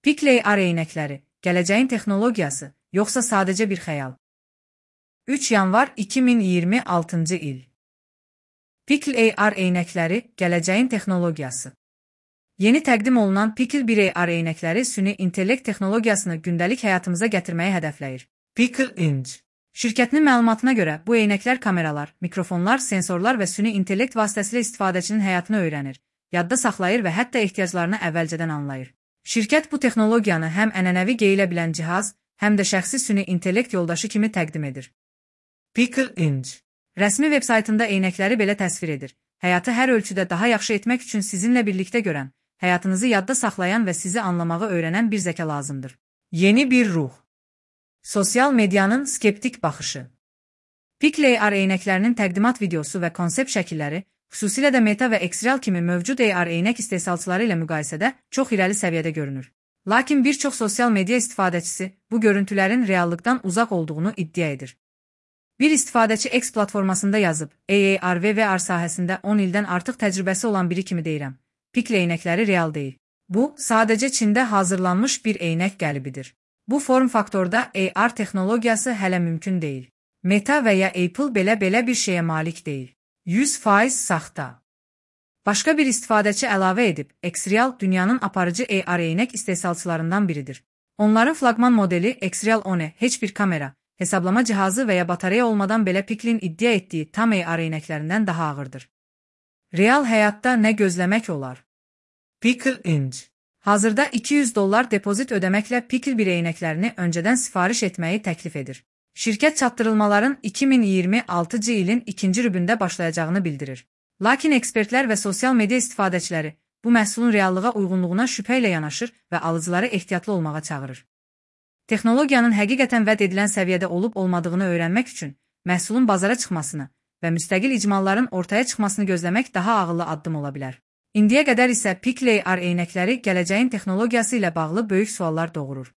Pickle AR eynəkləri, gələcəyin texnologiyası, yoxsa sadəcə bir xəyal? 3 yanvar 2026-cı il. Pickle AR eynəkləri, gələcəyin texnologiyası. Yeni təqdim olunan Pickle AR eynəkləri süni intellekt texnologiyasını gündəlik həyatımıza gətirməyi hədəfləyir. Pickle Inc. Şirkətinin məlumatına görə, bu eynəklər kameralar, mikrofonlar, sensorlar və süni intellekt vasitəsilə istifadəçinin həyatını öyrənir, yadda saxlayır və hətta ehtiyaclarını əvvəlcədən anlayır. Şirkət bu texnologiyanı həm ənənəvi geyilə bilən cihaz, həm də şəxsi süni intellekt yoldaşı kimi təqdim edir. Pickle Inc. Rəsmi veb-saytında eynəkləri belə təsvir edir. Həyatı hər ölçüdə daha yaxşı etmək üçün sizinlə birlikdə görən, həyatınızı yadda saxlayan və sizi anlamağı öyrənən bir zəka lazımdır. Yeni bir ruh. Sosial medianın skeptik baxışı. Pickle AR eynəklərinin təqdimat videosu və konsept şəkilləri, xüsusilə də Meta və Xreal kimi mövcud AR eynək istehsalçıları ilə müqayisədə çox irəli səviyyədə görünür. Lakin bir çox sosial media istifadəçisi bu görüntülərin reallıqdan uzaq olduğunu iddia edir. Bir istifadəçi X platformasında yazıb, AR və VR sahəsində 10 ildən artıq təcrübəsi olan biri kimi deyirəm. Pickle eynəkləri real deyil. Bu, sadəcə Çində hazırlanmış bir eynək qəlibidir. Bu form faktorda AR texnologiyası hələ mümkün deyil. Meta və ya Apple belə bir şeyə malik deyil. 100% saxta. Başqa bir istifadəçi əlavə edib, Xreal dünyanın aparıcı AR eynək istehsalçılarından biridir. Onların flaqman modeli Xreal One heç bir kamera, hesablama cihazı və ya batareya olmadan belə Pickle'in iddia etdiyi tam AR eynəklərindən daha ağırdır. Real həyatda nə gözləmək olar? Pickle Inc. Hazırda $200 depozit ödəməklə Pickle eynəklərini öncədən sifariş etməyi təklif edir. Şirkət çatdırılmaların 2026-cı ilin ikinci rübündə başlayacağını bildirir. Lakin ekspertlər və sosial media istifadəçiləri bu məhsulun reallığa uyğunluğuna şübhə ilə yanaşır və alıcıları ehtiyatlı olmağa çağırır. Texnologiyanın həqiqətən vəd edilən səviyyədə olub-olmadığını öyrənmək üçün məhsulun bazara çıxmasını və müstəqil icmalların ortaya çıxmasını gözləmək daha ağıllı addım ola bilər. İndiyə qədər isə Pickle AR eynəkləri gələcəyin texnologiyası ilə bağlı böyük suallar doğurur.